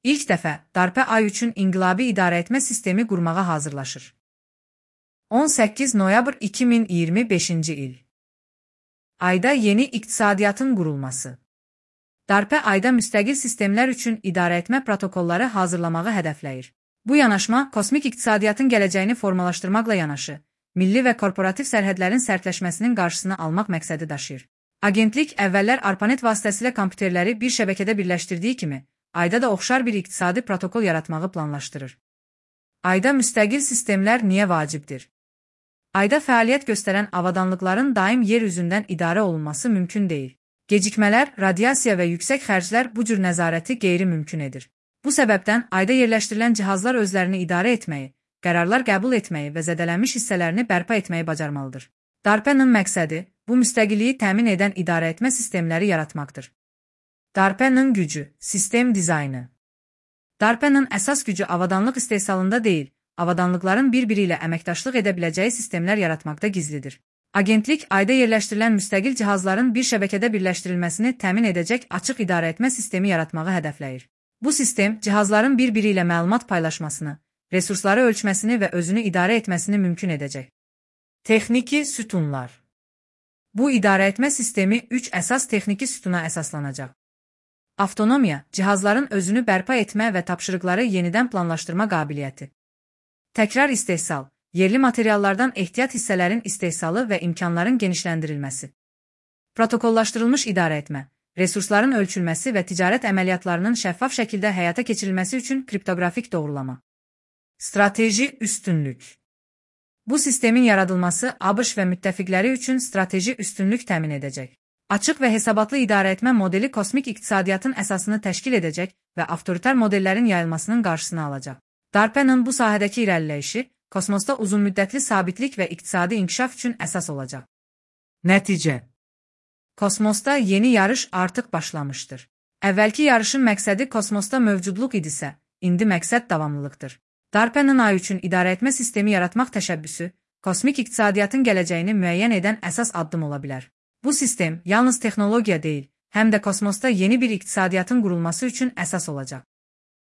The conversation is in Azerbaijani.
İlk dəfə DARPA Ay üçün inqilabi idarəetmə sistemi qurmağa hazırlaşır. 18 noyabr 2025-ci il. Ayda yeni iqtisadiyyatın qurulması. DARPA ayda müstəqil sistemlər üçün idarəetmə protokolları hazırlamağı hədəfləyir. Bu yanaşma kosmik iqtisadiyyatın gələcəyini formalaşdırmaqla yanaşı, milli və korporativ sərhədlərin sərtləşməsinin qarşısını almaq məqsədi daşıyır. Agentlik əvvəllər ARPANET vasitəsilə kompüterləri bir şəbəkədə birləşdirdiyi kimi, ayda da oxşar bir iqtisadi protokol yaratmağı planlaşdırır. Ayda müstəqil sistemlər niyə vacibdir? Ayda fəaliyyət göstərən avadanlıqların daim yer üzündən idarə olunması mümkün deyil. Gecikmələr, radiasiya və yüksək xərclər bu cür nəzarəti qeyri-mümkün edir. Bu səbəbdən ayda yerləşdirilən cihazlar özlərini idarə etməyi, qərarlar qəbul etməyi və zədələnmiş hissələrini bərpa etməyi bacarmalıdır. DARPA-nın məqsədi bu müstəqilliyi təmin edən idarəetmə sistemləri yaratmaqdır. DARPA-nın gücü, sistem dizaynı. DARPA-nın əsas gücü avadanlıq istehsalında deyil, avadanlıqların bir-biri ilə əməkdaşlıq edə biləcəyi sistemlər yaratmaqda gizlidir. Agentlik ayda yerləşdirilən müstəqil cihazların bir şəbəkədə birləşdirilməsini təmin edəcək açıq idarəetmə sistemi yaratmağı hədəfləyir. Bu sistem cihazların bir-biri ilə məlumat paylaşmasını, resursları ölçməsini və özünü idarə etməsini mümkün edəcək. Texniki sütunlar. Bu idarəetmə sistemi 3 əsas texniki sütuna əsaslanacaq. Avtonomiya, cihazların özünü bərpa etmə və tapşırıqları yenidən planlaşdırma qabiliyyəti. Təkrar istehsal, yerli materiallardan ehtiyat hissələrin istehsalı və imkanların genişləndirilməsi. Protokollaşdırılmış idarəetmə, resursların ölçülməsi və ticarət əməliyyatlarının şəffaf şəkildə həyata keçirilməsi üçün kriptoqrafik doğrulama. Strateji üstünlük. Bu sistemin yaradılması ABŞ və müttəfiqləri üçün strateji üstünlük təmin edəcək. Açıq və hesabatlı idarəetmə modeli kosmik iqtisadiyyatın əsasını təşkil edəcək və avtoritar modellərin yayılmasının qarşısını alacaq. DARPA-nın bu sahədəki irəliləyişi kosmosda uzunmüddətli sabitlik və iqtisadi inkişaf üçün əsas olacaq. Nəticə. Kosmosda yeni yarış artıq başlamışdır. Əvvəlki yarışın məqsədi kosmosda mövcudluq idisə, indi məqsəd davamlılıqdır. DARPA-nın ay üçün idarəetmə sistemi yaratmaq təşəbbüsü, kosmik iqtisadiyyatın gələcəyini müəyyən edən əsas addım ola bilər. Bu sistem yalnız texnologiya deyil, həm də kosmosda yeni bir iqtisadiyyatın qurulması üçün əsas olacaq.